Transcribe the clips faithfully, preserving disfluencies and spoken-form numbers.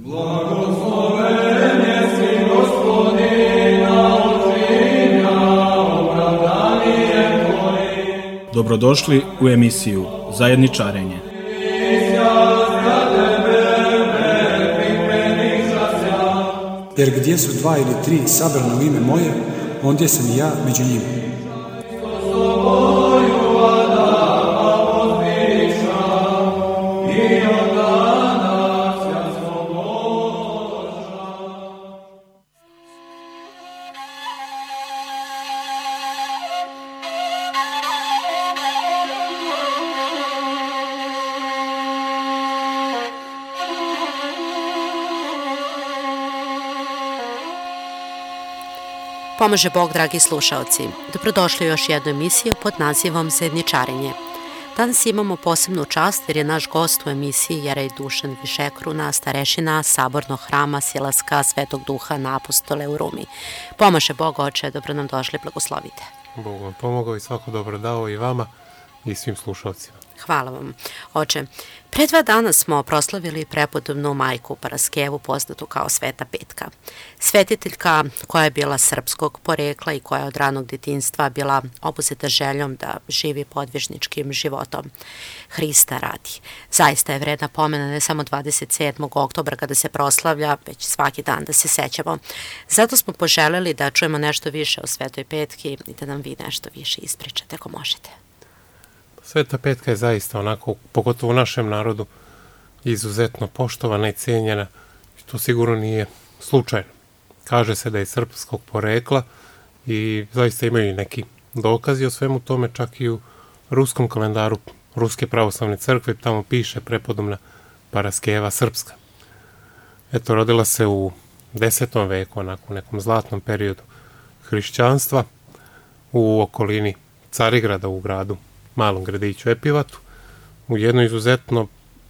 Blagosloven jesi Gospodina očinja, opravdanje Tvoje. Dobrodošli u emisiju Zajedničarenje. Jer gdje su dva ili tri sabrana u ime moje, ondje sam i ja među njima. Pomaže Bog, dragi slušaoci. Dobrodošli u još jednu emisiju pod nazivom Zajedničarenje. Danas imamo posebnu čast jer je naš gost u emisiji Jerej Dušan Višekruna, starešina Sabornog hrama Silaska Svetog Duha na Apostole u Rumi. Pomaže Bog, oče, dobro nam došli, blagoslovite. Bog vam pomogao i svako dobro dao i vama i svim slušalcima. Hvala vam, oče. Pre dva dana smo proslavili prepodobnu majku Paraskevu, poznatu kao Sveta Petka. Svetiteljka koja je bila srpskog porekla i koja je od ranog djetinjstva bila obuzeta željom da živi podvižničkim životom Hrista radi. Zaista je vredna pomena ne samo dvadeset sedmog oktobra kada se proslavlja, već svaki dan da se sećamo. Zato smo poželjeli da čujemo nešto više o Svetoj Petki i da nam vi nešto više ispričate ako možete. Sveta Petka je zaista onako, pogotovo u našem narodu, izuzetno poštovana i cijenjena. To sigurno nije slučajno. Kaže se da je srpskog porekla i zaista imaju i neki dokazi o svemu tome, čak i u ruskom kalendaru Ruske pravoslavne crkve, tamo piše prepodobna Paraskeva srpska. Eto, rodila se u desetom veku, onako u nekom zlatnom periodu hrišćanstva, u okolini Carigrada, u gradu malom gradiću Epivatu, u jednoj izuzetno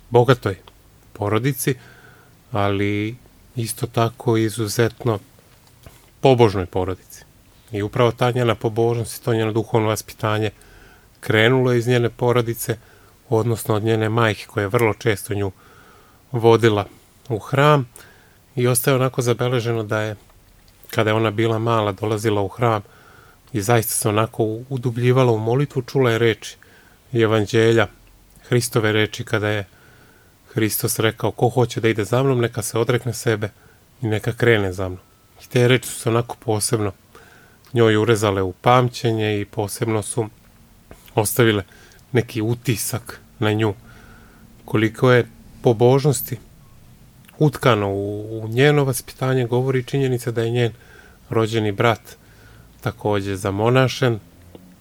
bogatoj porodici, ali isto tako izuzetno pobožnoj porodici. I upravo ta njena pobožnost i to njeno duhovno vaspitanje krenulo iz njene porodice, odnosno od njene majke koja je vrlo često nju vodila u hram i ostaje onako zabeleženo da je, kada je ona bila mala, dolazila u hram i zaista se onako udubljivala u molitvu, čula je reči i evanđelja, Hristove reči kada je Hristos rekao ko hoće da ide za mnom, neka se odrekne sebe i neka krene za mnom. I te reči su se onako posebno njoj urezale u pamćenje i posebno su ostavile neki utisak na nju. Koliko je pobožnosti utkano u, u njeno vaspitanje, govori činjenica da je njen rođeni brat također zamonašen,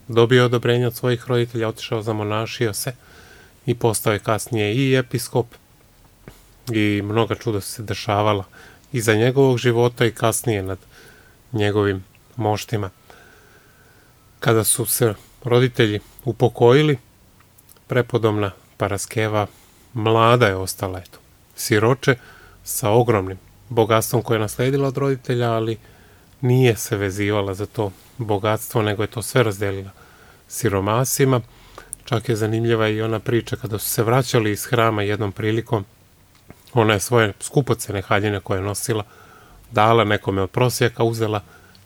dobio odobrenje od svojih roditelja, otišao zamonašio se i postao je kasnije i episkop i mnoga čuda su se dešavala iza njegovog života i kasnije nad njegovim moštima. Kada su se roditelji upokojili, prepodobna Paraskeva mlada je ostala, eto, siroče sa ogromnim bogatstvom koje je nasledila od roditelja, ali nije se vezivala za to bogatstvo, nego je to sve razdelila siromasima. Čak je zanimljiva i ona priča kada su se vraćali iz hrama jednom prilikom, ona je svoje skupocene haljine koje je nosila dala nekome od prosjaka, uzela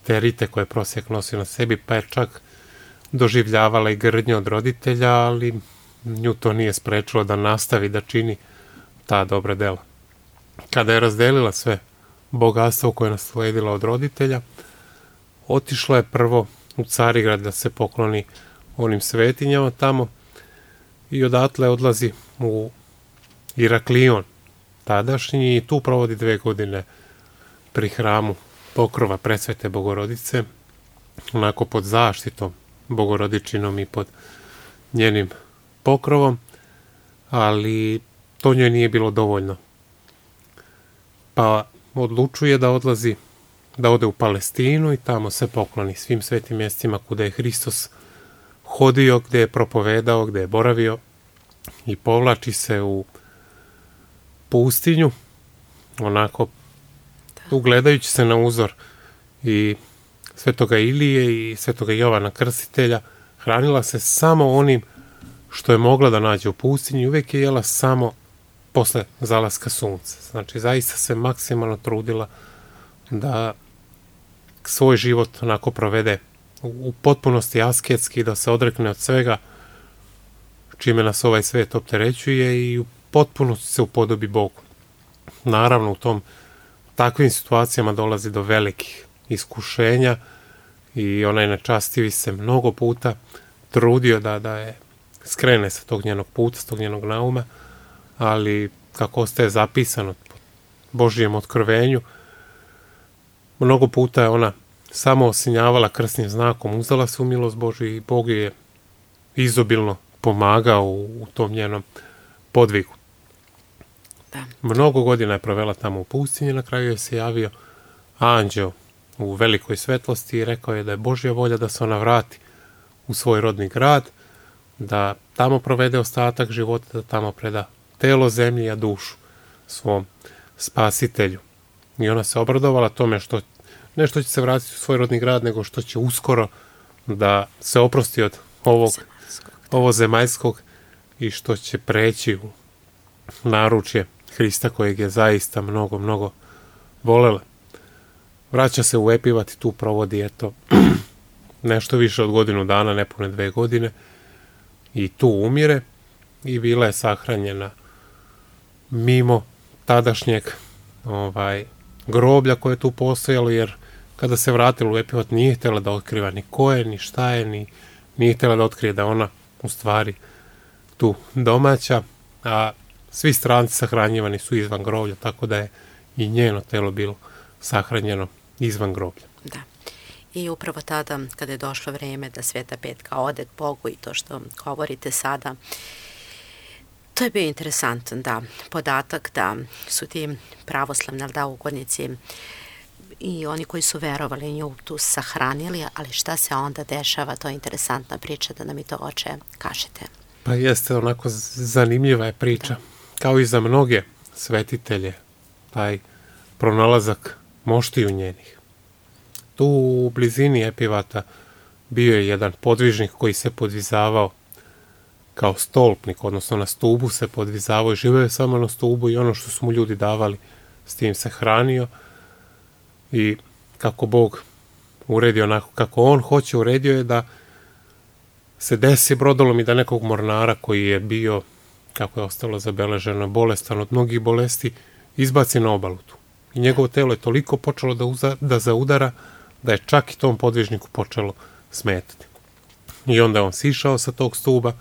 te rite koje je prosjak nosio na sebi, pa je čak doživljavala i grdnju od roditelja, ali nju to nije sprečilo da nastavi da čini ta dobra dela. Kada je razdelila sve bogatstvo koje je nasledila od roditelja, otišla je prvo u Carigrad da se pokloni onim svetinjama tamo i odatle odlazi u Iraklion tadašnji i tu provodi dve godine pri hramu Pokrova Presvete Bogorodice, onako pod zaštitom Bogorodičinom i pod njenim pokrovom, ali to njoj nije bilo dovoljno. Pa odlučuje da odlazi, da ode u Palestinu i tamo se pokloni svim svetim mjestima kuda je Hristos hodio, gde je propovedao, gde je boravio i povlači se u pustinju, onako ugledajući se na uzor i Svetoga Ilije i Svetoga Jovana Krstitelja, hranila se samo onim što je mogla da nađe u pustinji, uvijek je jela samo posle zalaska sunca. Znači, zaista se maksimalno trudila da svoj život onako provede u potpunosti asketski, da se odrekne od svega čime nas ovaj svet opterećuje i u potpunosti se upodobi Bogu. Naravno, u tom takvim situacijama dolazi do velikih iskušenja i onaj nečastivi se mnogo puta trudio da, da je skrene sa tog njenog puta, sa tog njenog nauma, ali kako ostaje zapisano po Božijem otkrovenju, mnogo puta je ona samo osinjavala krsnim znakom, uzela se u milost Božju i Bog je izobilno pomagao u, u tom njenom podvigu. Da. Mnogo godina je provela tamo u pustinji, na kraju je se javio anđeo u velikoj svetlosti i rekao je da je Božja volja da se ona vrati u svoj rodni grad, da tamo provede ostatak života, da tamo preda telo zemlji, a dušu svom spasitelju. I ona se obradovala tome što ne što će se vratiti u svoj rodni grad, nego što će uskoro da se oprosti od ovog ovo zemaljskog i što će preći u naručje Hrista kojeg je zaista mnogo, mnogo volela. Vraća se u Epivat i tu provodi eto nešto više od godinu dana, nepune dve godine i tu umire i bila je sahranjena mimo tadašnjeg ovaj, groblja koje je tu postojalo, jer kada se vratila u Epivat nije htjela da otkriva ni ko je, ni šta je, ni nije htjela da otkrije da ona u stvari tu domaća, a svi stranci sahranjivani su izvan groblja, tako da je i njeno telo bilo sahranjeno izvan groblja. Da. I upravo tada, kada je došlo vreme da Sveta Petka ode k Bogu i to što govorite sada, to je bio interesantan, da, podatak da su ti pravoslavni, da, ugodnici i oni koji su verovali nju tu sahranili, ali šta se onda dešava, to je interesantna priča, da nam i to, oče, kažete. Pa jeste, onako zanimljiva je priča. Kao i za mnoge svetitelje, taj pronalazak moštiju njenih. Tu u blizini Epivata bio je jedan podvižnik koji se podvizavao kao stolpnik, odnosno na stubu se podvizavao i živeo je samo na stubu i ono što su mu ljudi davali, s tim se hranio. I kako Bog uredio onako kako on hoće, uredio je da se desi brodolom i da nekog mornara koji je bio, kako je ostalo zabeleženo, bolestan od mnogih bolesti, izbaci na obalu tu. I njegovo telo je toliko počelo da, uza, da zaudara, da je čak i tom podvižniku počelo smetati. I onda je on sišao sa tog stuba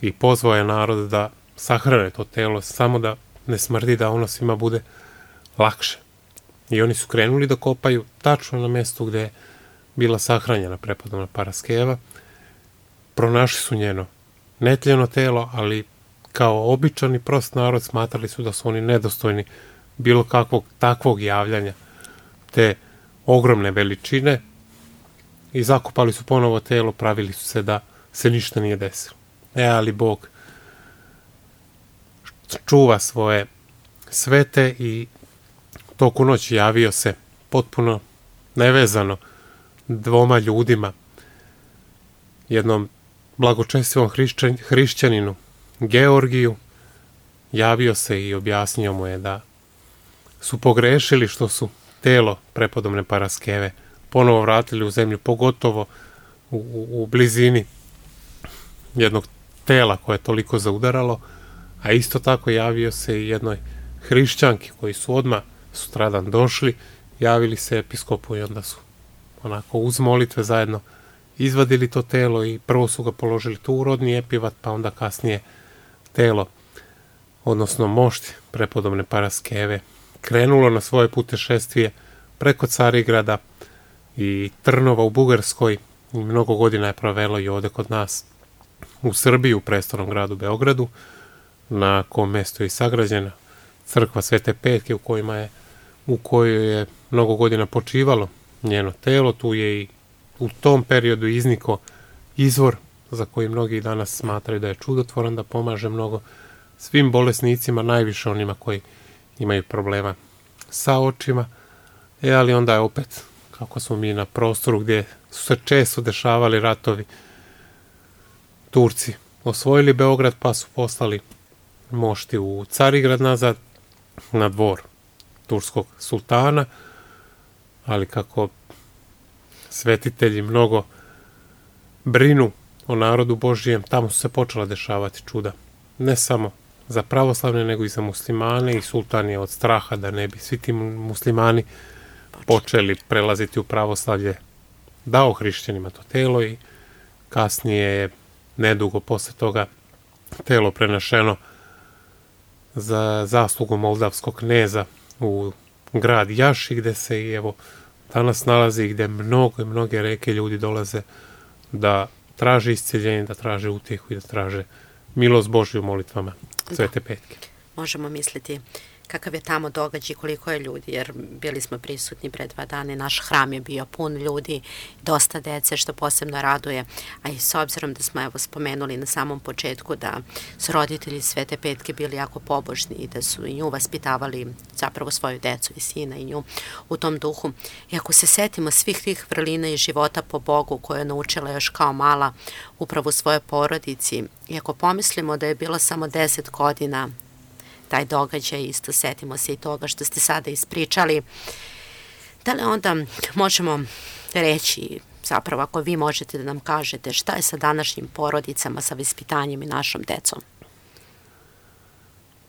i pozvao je narod da sahrane to telo, samo da ne smrdi, da ono svima bude lakše. I oni su krenuli da kopaju tačno na mjestu gdje je bila sahranjena prepodobna Paraskeva. Pronašli su njeno netljeno telo, ali kao običan i prost narod smatrali su da su oni nedostojni bilo kakvog takvog javljanja te ogromne veličine i zakopali su ponovo telo, pravili su se da se ništa nije desilo. E, ali Bog čuva svoje svete i toku noći javio se potpuno nevezano dvoma ljudima, jednom blagočestivom hrišćan, hrišćaninu Georgiju, javio se i objasnio mu je da su pogrešili što su telo prepodobne Paraskeve ponovo vratili u zemlju, pogotovo u, u, u blizini jednog tela koje je toliko zaudaralo, a isto tako javio se i jednoj hrišćanki koji su odmah sutradan došli, javili se episkopu i onda su onako uz molitve zajedno izvadili to telo i prvo su ga položili tu u rodni Epivat, pa onda kasnije telo, odnosno mošt prepodobne Paraskeve, krenulo na svoje putešestvije preko Carigrada i Trnova u Bugarskoj i mnogo godina je provelo i ovde kod nas u Srbiji, u prestolnom gradu Beogradu, na kom mjestu je i sagrađena crkva Svete Petke u kojima je u kojoj je mnogo godina počivalo njeno telo. Tu je i u tom periodu izniko izvor za koji mnogi danas smatraju da je čudotvoran, da pomaže mnogo svim bolesnicima, najviše onima koji imaju problema sa očima. E, ali onda je opet, kako smo mi na prostoru gdje su se često dešavali ratovi, Turci osvojili Beograd pa su poslali mošti u Carigrad nazad, na dvor turskog sultana, ali kako svetitelji mnogo brinu o narodu Božijem, tamo su se počela dešavati čuda. Ne samo za pravoslavne, nego i za muslimane, i sultan je od straha da ne bi svi ti muslimani počeli prelaziti u pravoslavlje, dao hrišćanima to telo i kasnije je nedugo posle toga telo prenašeno za zaslugu moldavskog kneza u grad Jaši, gde se i evo danas nalazi, gde mnogo i mnoge reke ljudi dolaze da traže isceljenje, da traže utjehu i da traže milost Božju molitvama Svete Petke. Možemo misliti kakav je tamo događaj, koliko je ljudi, jer bili smo prisutni pre dva dana i naš hram je bio pun ljudi, dosta dece, što posebno raduje, a i s obzirom da smo evo spomenuli na samom početku da su roditelji Svete Petke bili jako pobožni i da su i nju vaspitavali, zapravo svoju decu i sina i nju u tom duhu. I ako se setimo svih tih vrlina i života po Bogu koje je naučila još kao mala upravo u svojoj porodici, i ako pomislimo da je bilo samo deset godina taj događaj, isto setimo se i toga što ste sada ispričali, da li onda možemo reći, zapravo ako vi možete da nam kažete, šta je sa današnjim porodicama, sa vaspitanjem i našom decom?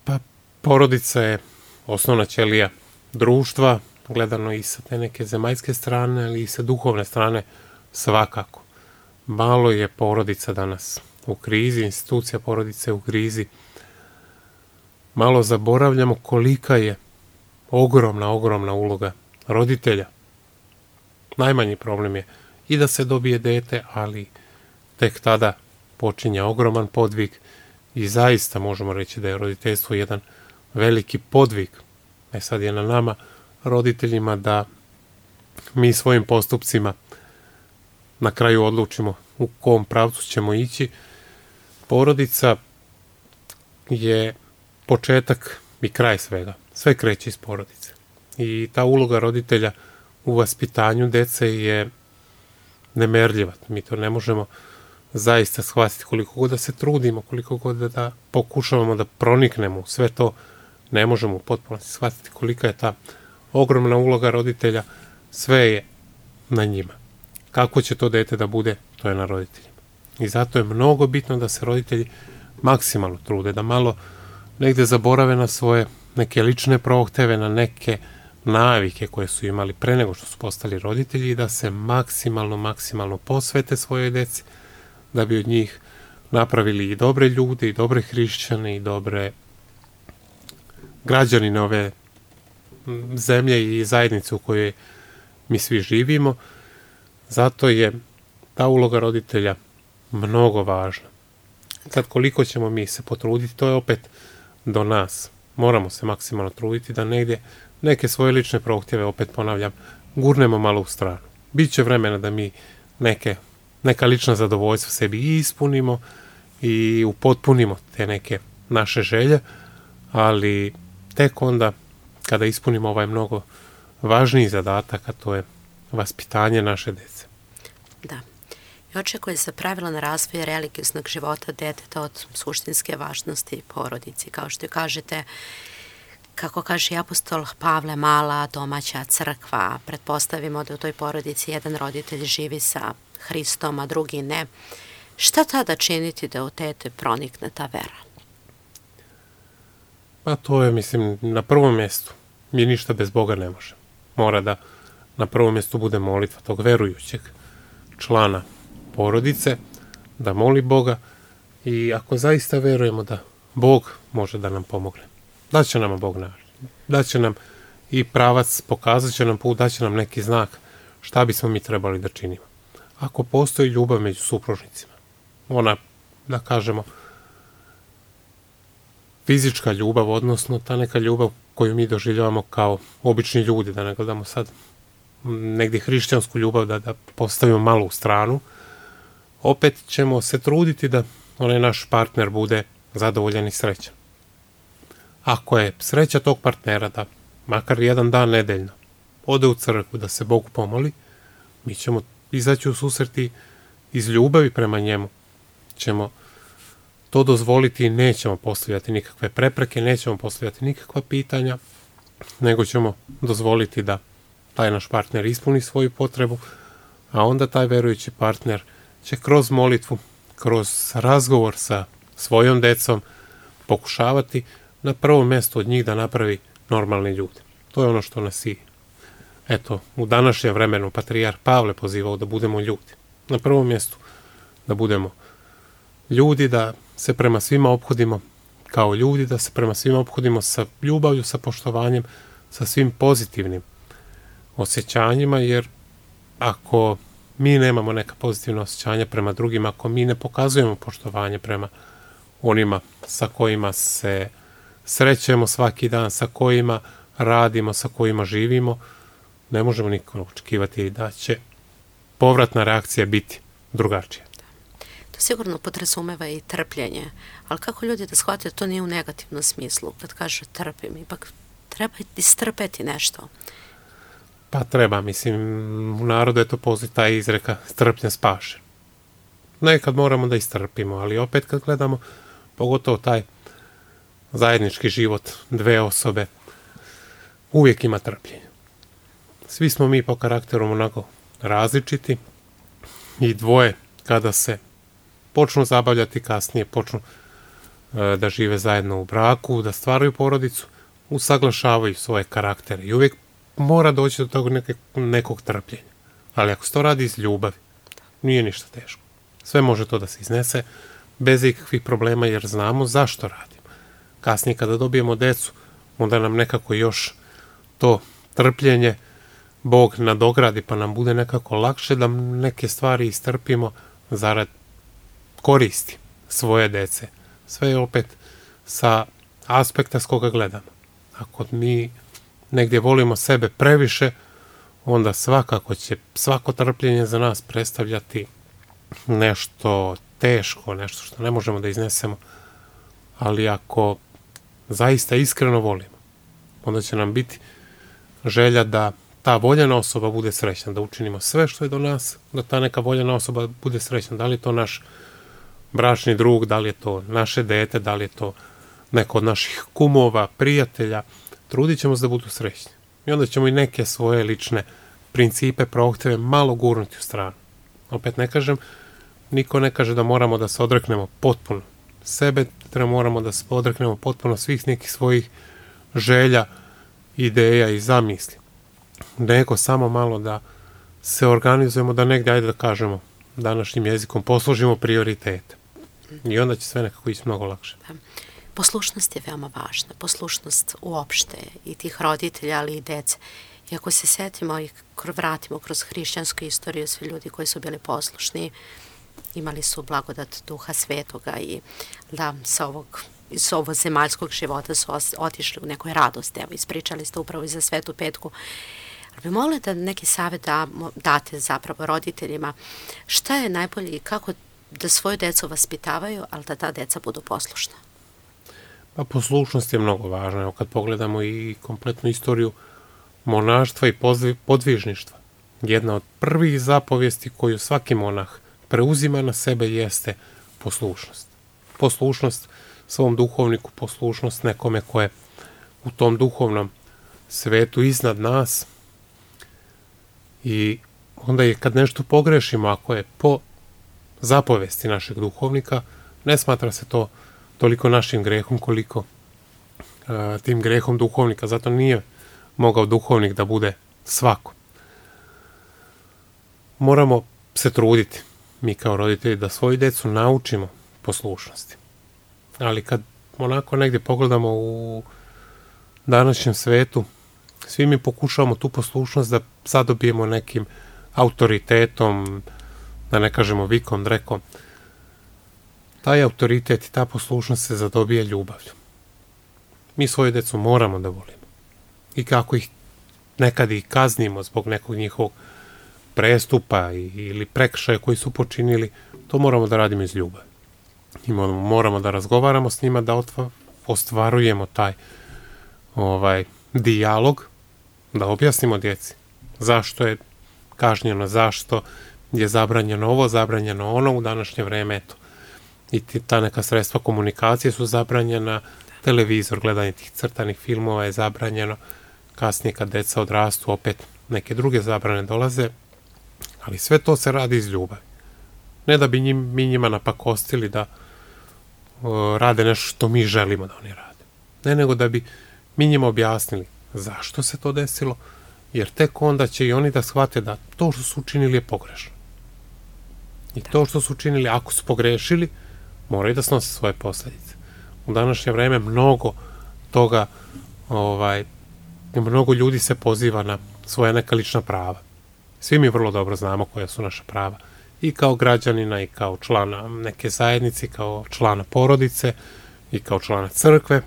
Pa, porodica je osnovna ćelija društva, gledano i sa te neke zemaljske strane, ali i sa duhovne strane svakako. Malo je porodica danas u krizi, institucija porodice u krizi. Malo zaboravljamo kolika je ogromna, ogromna uloga roditelja. Najmanji problem je i da se dobije dete, ali tek tada počinje ogroman podvig i zaista možemo reći da je roditeljstvo jedan veliki podvig. E sad je na nama, roditeljima, da mi svojim postupcima na kraju odlučimo u kom pravcu ćemo ići. Porodica je početak i kraj svega. Sve kreće iz porodice. I ta uloga roditelja u vaspitanju dece je nemerljiva. Mi to ne možemo zaista shvatiti, koliko god da se trudimo, koliko god da pokušavamo da proniknemo sve to, ne možemo u potpunosti shvatiti kolika je ta ogromna uloga roditelja. Sve je na njima. Kako će to dete da bude, to je na roditeljima. I zato je mnogo bitno da se roditelji maksimalno trude, da malo negde zaborave na svoje neke lične prohteve, na neke navike koje su imali pre nego što su postali roditelji i da se maksimalno, maksimalno posvete svojoj deci, da bi od njih napravili i dobre ljude, i dobre hrišćane, i dobre građanine ove zemlje i zajednice u kojoj mi svi živimo. Zato je ta uloga roditelja mnogo važna. Sad koliko ćemo mi se potruditi, to je opet do nas. Moramo se maksimalno truditi da negdje neke svoje lične prohtjeve, opet ponavljam, gurnemo malo u stranu. Biće vremena da mi neke, neka lična zadovoljstva sebi i ispunimo i upotpunimo te neke naše želje, ali tek onda kada ispunimo ovaj mnogo važniji zadatak, a to je vaspitanje naše dece. Da. I očekuje se pravilan razvoj religioznog života deteta od suštinske važnosti porodici. Kao što kažete, kako kaže i apostol Pavle, mala domaća crkva, pretpostavimo da u toj porodici jedan roditelj živi sa Hristom, a drugi ne. Šta tada činiti da u dete pronikne ta vera? Pa to je, mislim, na prvom mjestu. Mi ništa bez Boga ne možemo. Mora da na prvom mjestu bude molitva tog verujućeg člana porodice, da moli Boga, i ako zaista verujemo da Bog može da nam pomogne, da će nam Bog naći, da će nam i pravac, pokazat će nam put, da će nam neki znak šta bismo mi trebali da činimo. Ako postoji ljubav među supružnicima, ona, da kažemo, fizička ljubav, odnosno ta neka ljubav koju mi doživljavamo kao obični ljudi, da ne gledamo sad negdje hrišćansku ljubav, da, da postavimo malo u stranu, opet ćemo se truditi da onaj naš partner bude zadovoljan i srećan. Ako je sreća tog partnera da makar jedan dan nedeljno ode u crkvu da se Bogu pomoli, mi ćemo izaći u susret i iz ljubavi prema njemu ćemo to dozvoliti i nećemo postavljati nikakve prepreke, nećemo postavljati nikakva pitanja, nego ćemo dozvoliti da taj naš partner ispuni svoju potrebu, a onda taj verujući partner će kroz molitvu, kroz razgovor sa svojom decom pokušavati na prvom mjestu od njih da napravi normalni ljude. To je ono što nas i, eto, u današnjem vremenu patrijarh Pavle pozivao da budemo ljudi. Na prvom mjestu da budemo ljudi, da se prema svima ophodimo kao ljudi, da se prema svima ophodimo sa ljubavlju, sa poštovanjem, sa svim pozitivnim osjećanjima, jer ako mi nemamo neka pozitivna osjećanja prema drugima, ako mi ne pokazujemo poštovanje prema onima sa kojima se srećemo svaki dan, sa kojima radimo, sa kojima živimo, ne možemo nikako očekivati da će povratna reakcija biti drugačija. To sigurno podrazumeva i trpljenje, ali kako ljudi da shvate to nije u negativnom smislu, kad kaže trpim, ipak treba istrpeti nešto. Pa treba, mislim, u narodu je to postoji taj izreka strpljen spašen. Nekad moramo da istrpimo, ali opet kad gledamo, pogotovo taj zajednički život dve osobe, uvijek ima trpljenja. Svi smo mi po karakteru onako različiti i dvoje kada se počnu zabavljati, kasnije počnu e, da žive zajedno u braku, da stvaraju porodicu, usaglašavaju svoje karaktere i uvijek mora doći do tog neke, nekog trpljenja. Ali ako se to radi iz ljubavi, nije ništa teško. Sve može to da se iznese bez ikakvih problema jer znamo zašto radimo. Kasnije kada dobijemo decu, onda nam nekako još to trpljenje Bog nadogradi pa nam bude nekako lakše da neke stvari istrpimo zarad koristi svoje dece. Sve je opet sa aspekta s koga gledamo. Ako mi negdje volimo sebe previše, onda svakako će svako trpljenje za nas predstavljati nešto teško, nešto što ne možemo da iznesemo. Ali ako zaista iskreno volimo, onda će nam biti želja da ta voljena osoba bude srećna, da učinimo sve što je do nas, da ta neka voljena osoba bude srećna. Da li je to naš bračni drug, da li je to naše dete, da li je to neko od naših kumova, prijatelja, trudit ćemo se da budu srećni. I onda ćemo i neke svoje lične principe, prohtjeve malo gurnuti u stranu. Opet ne kažem, niko ne kaže da moramo da se odreknemo potpuno sebe, da moramo da se odreknemo potpuno svih nekih svojih želja, ideja i zamisli. Nego samo malo da se organizujemo, da negdje, ajde da kažemo današnjim jezikom, poslužimo prioritete. I onda će sve nekako ići mnogo lakše. Poslušnost je veoma važna. Poslušnost uopšte i tih roditelja, ali i dece. I ako se setimo i vratimo kroz hrišćansku istoriju, svi ljudi koji su bili poslušni imali su blagodat Duha Svetoga i da sa ovog iz ovog zemaljskog života su otišli u nekoj radosti. Evo, ispričali ste upravo i za Svetu Petku. Ali bi mogli da neki savjet da, date zapravo roditeljima šta je najbolje i kako da svoju decu vaspitavaju, ali da ta deca budu poslušna? Pa poslušnost je mnogo važna. Evo kad pogledamo i kompletnu istoriju monaštva i podvižništva. Jedna od prvih zapovijesti koju svaki monah preuzima na sebe jeste poslušnost. Poslušnost svom duhovniku, poslušnost nekome ko je u tom duhovnom svetu iznad nas. I onda je kad nešto pogrešimo, ako je po zapovesti našeg duhovnika, ne smatra se to toliko našim grehom koliko uh, tim grehom duhovnika. Zato nije mogao duhovnik da bude svako. Moramo se truditi, mi kao roditelji, da svoju decu naučimo poslušnosti. Ali kad onako negdje pogledamo u današnjem svetu, svi mi pokušavamo tu poslušnost da zadobijemo nekim autoritetom, da ne kažemo vikom, drekom. Taj autoritet i ta poslušnost se zadobija ljubavlju. Mi svoju decu moramo da volimo. I kako ih nekad i kaznimo zbog nekog njihovog prestupa ili prekršaja koji su počinili, to moramo da radimo iz ljubavi. I moramo da razgovaramo s njima, da otva, ostvarujemo taj ovaj dijalog, da objasnimo djeci zašto je kažnjeno, zašto je zabranjeno ovo, zabranjeno ono u današnje vreme, eto. i ti, ta neka sredstva komunikacije su zabranjena, televizor, gledanje tih crtanih filmova je zabranjeno, kasnije kad deca odrastu opet neke druge zabrane dolaze, ali sve to se radi iz ljubavi. Ne da bi njim, mi njima napakostili da o, rade nešto što mi želimo da oni rade. Ne, nego da bi mi njima objasnili zašto se to desilo, jer tek onda će i oni da shvate da to što su učinili je pogrešno. I to što su učinili, ako su pogrešili, moraju da snose svoje posljedice. U današnje vreme mnogo toga, ovaj, mnogo ljudi se poziva na svoja neka lična prava. Svi mi vrlo dobro znamo koja su naša prava. I kao građanina, i kao člana neke zajednice, kao člana porodice, i kao člana crkve,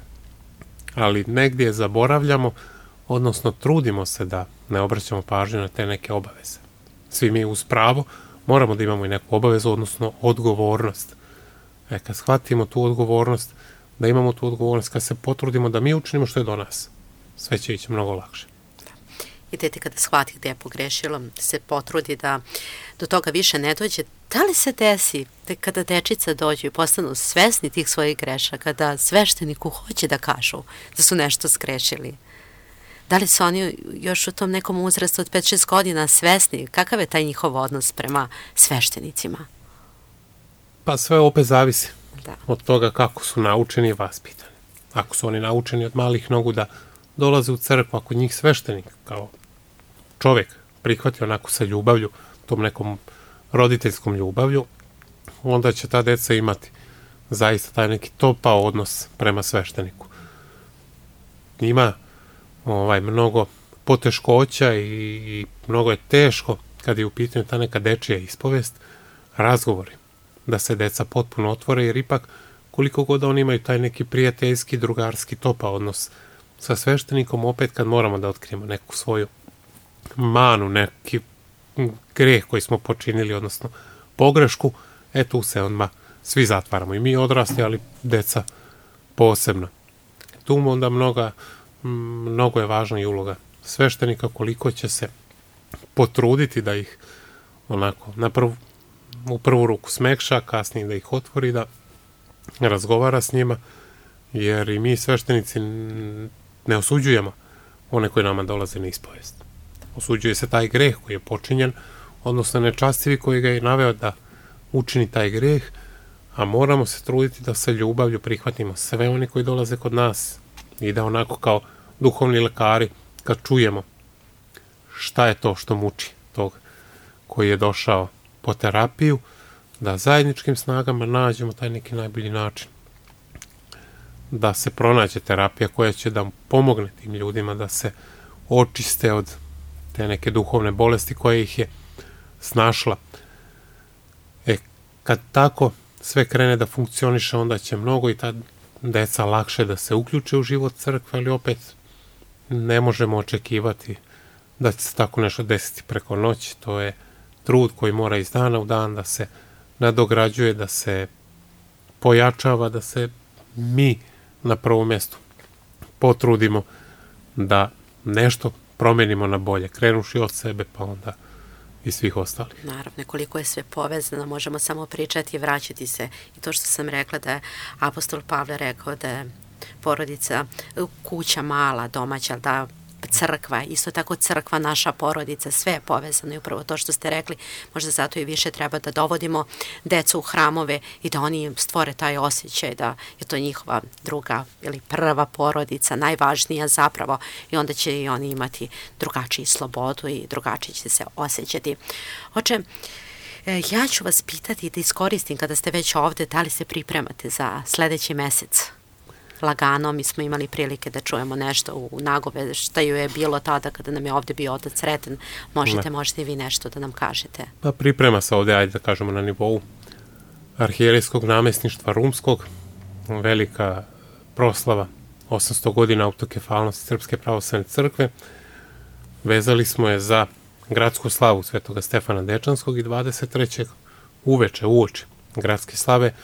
ali negdje zaboravljamo, odnosno trudimo se da ne obraćamo pažnju na te neke obaveze. Svi mi uz pravo moramo da imamo i neku obavezu, odnosno odgovornost. E, kad shvatimo tu odgovornost, da imamo tu odgovornost, kad se potrudimo da mi učinimo što je do nas, sve će ići mnogo lakše. I dete kada shvati gde je pogrešilo, se potrudi da do toga više ne dođe. Da li se desi da kada dečica dođu i postanu svesni tih svojih grešaka, da svešteniku hoće da kažu da su nešto sgrešili? Da li su oni još u tom nekom uzrastu od pet šest godina svesni? Kakav je taj njihov odnos prema sveštenicima? Pa sve opet zavisi Da. od toga kako su naučeni i vaspitani. Ako su oni naučeni od malih nogu da dolaze u crkvu, ako njih sveštenik kao čovjek prihvati onako sa ljubavlju, tom nekom roditeljskom ljubavlju, onda će ta deca imati zaista taj neki topao odnos prema svešteniku. Ima ovaj, mnogo poteškoća i, i mnogo je teško kad je u pitanju ta neka dečija ispovest, razgovori, da se deca potpuno otvore, jer ipak koliko god oni imaju taj neki prijateljski, drugarski topao odnos sa sveštenikom, opet kad moramo da otkrijemo neku svoju manu, neki greh koji smo počinili, odnosno pogrešku, e tu se odmah svi zatvaramo. I mi odrasli, ali deca posebno. Tu onda mnoga, mnogo je važna i uloga sveštenika, koliko će se potruditi da ih onako na prvu, u prvu ruku smekša, kasnije da ih otvori, da razgovara s njima, jer i mi sveštenici ne osuđujemo one koji nama dolaze na ispovest. Osuđuje se taj greh koji je počinjen, odnosno nečastivi koji ga je naveo da učini taj greh, a moramo se truditi da sa ljubavlju prihvatimo sve oni koji dolaze kod nas i da onako kao duhovni lekari, kad čujemo šta je to što muči tog koji je došao po terapiju, da zajedničkim snagama nađemo taj neki najbolji način. Da se pronađe terapija koja će da pomogne tim ljudima da se očiste od te neke duhovne bolesti koja ih je snašla. E, kad tako sve krene da funkcioniše, onda će mnogo i ta deca lakše da se uključe u život crkve, ali opet ne možemo očekivati da će se tako nešto desiti preko noći. To je trud koji mora iz dana u dan da se nadograđuje, da se pojačava, da se mi na prvom mjestu potrudimo da nešto promenimo na bolje, krenuši od sebe pa onda i svih ostalih. Naravno, koliko je sve povezano, možemo samo pričati i vraćati se. I to što sam rekla da je apostol Pavle rekao da je porodica, kuća mala, domaća, da crkva, isto tako crkva, naša porodica, sve je povezano i upravo to što ste rekli, možda zato i više treba da dovodimo decu u hramove i da oni stvore taj osjećaj da je to njihova druga ili prva porodica, najvažnija zapravo, i onda će i oni imati drugačiju slobodu i drugačije će se osjećati. Oče, ja ću vas pitati da iskoristim kada ste već ovde, da li se pripremate za sledeći mesec? Lagano, mi smo imali prilike da čujemo nešto u nagove šta ju je bilo tada kada nam je ovde bio otac Sreten. Možete, ne. možete i vi nešto da nam kažete. Pa priprema se ovde, ajde da kažemo, na nivou arhijerejskog namestništva Rumskog, velika proslava osamsto godina autokefalnosti Srpske pravoslavne crkve. Vezali smo je za gradsku slavu Svetoga Stefana Dečanskog i dvadeset trećeg uveče, uoči gradske slave,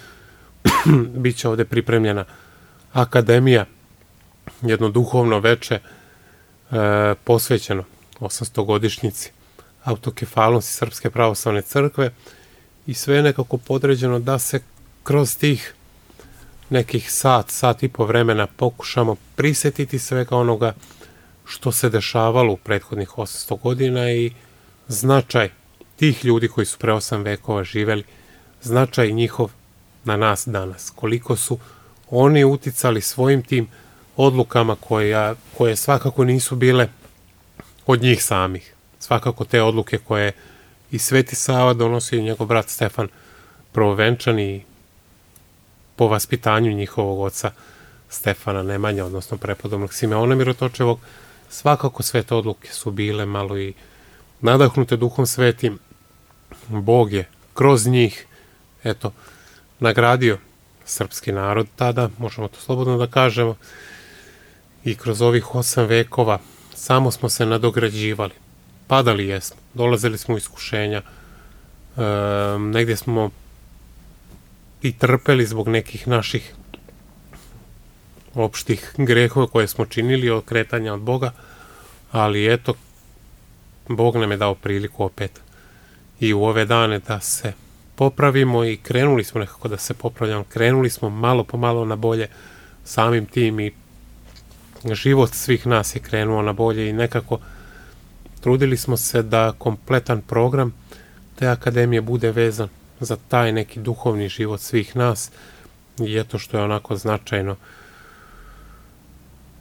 bit će ovde pripremljena akademija, jedno duhovno veče e, posvećeno osamstogodišnjici autokefalnosti Srpske pravoslavne crkve i sve je nekako podređeno da se kroz tih nekih sat, sat i po vremena pokušamo prisjetiti svega onoga što se dešavalo u prethodnih osamsto godina i značaj tih ljudi koji su pre osam vekova živeli, značaj njihov na nas danas. Koliko su oni uticali svojim tim odlukama koja, koje svakako nisu bile od njih samih. Svakako te odluke koje i Sveti Sava donosio i njegov brat Stefan Prvovenčan i po vaspitanju njihovog oca Stefana Nemanja, odnosno prepodobnog Simeona Mirotočevog, svakako sve te odluke su bile malo i nadahnute Duhom Svetim. Bog je kroz njih, eto, nagradio srpski narod tada, možemo to slobodno da kažemo, i kroz ovih osam vekova samo smo se nadograđivali. Padali jesmo, dolazili smo u iskušenja, e, negdje smo i trpeli zbog nekih naših opštih grehova koje smo činili od kretanja od Boga, ali eto, Bog nam je dao priliku opet i u ove dane da se popravimo i krenuli smo nekako da se popravljamo, krenuli smo malo po malo na bolje samim tim i život svih nas je krenuo na bolje i nekako trudili smo se da kompletan program te akademije bude vezan za taj neki duhovni život svih nas i eto što je onako značajno.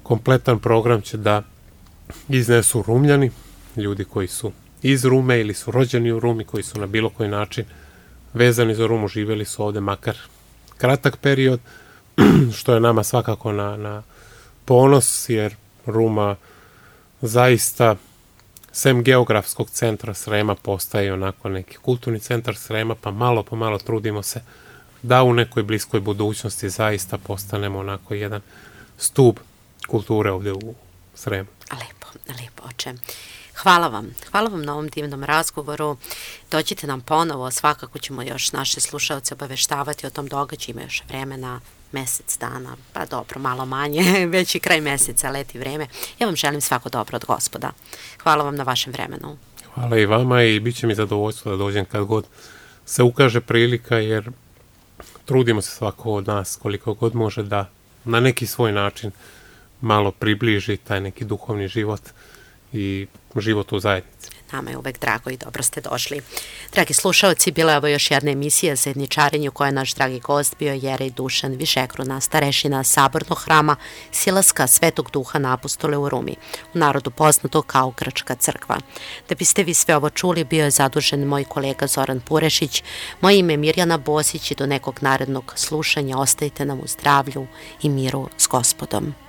Kompletan program će da iznesu Rumljani, ljudi koji su iz Rume ili su rođeni u Rumi, koji su na bilo koji način vezani za Rumu, živjeli su ovde makar kratak period, što je nama svakako na, na ponos, jer Ruma zaista, sem geografskog centra Srema, postaje onako neki kulturni centar Srema, pa malo po malo trudimo se da u nekoj bliskoj budućnosti zaista postanemo onako jedan stub kulture ovdje u Sremu. Lepo, lepo, oče. Hvala vam. Hvala vam na ovom divnom razgovoru. Dođite nam ponovo, svakako ćemo još naše slušalce obaveštavati o tom događaju, ima još vremena, mesec dana, pa dobro, malo manje, već i kraj meseca, leti vreme. Ja vam želim svako dobro od Gospoda. Hvala vam na vašem vremenu. Hvala i vama i bit će mi zadovoljstvo da dođem kad god se ukaže prilika, jer trudimo se svako od nas koliko god može da na neki svoj način malo približi taj neki duhovni život i život u zajednici. Nama je uvek drago i dobro ste došli. Dragi slušalci, bila je ovo još jedna emisija Zajedničarenje u kojoj je naš dragi gost bio Jerej Dušan Višekruna, starešina Sabornog hrama Silaska Svetog Duha na Apostole u Rumi, u narodu poznato kao Grčka crkva. Da biste vi sve ovo čuli, bio je zadužen moj kolega Zoran Purešić, moje ime je Mirjana Bosić i do nekog narednog slušanja ostajte nam u zdravlju i miru s Gospodom.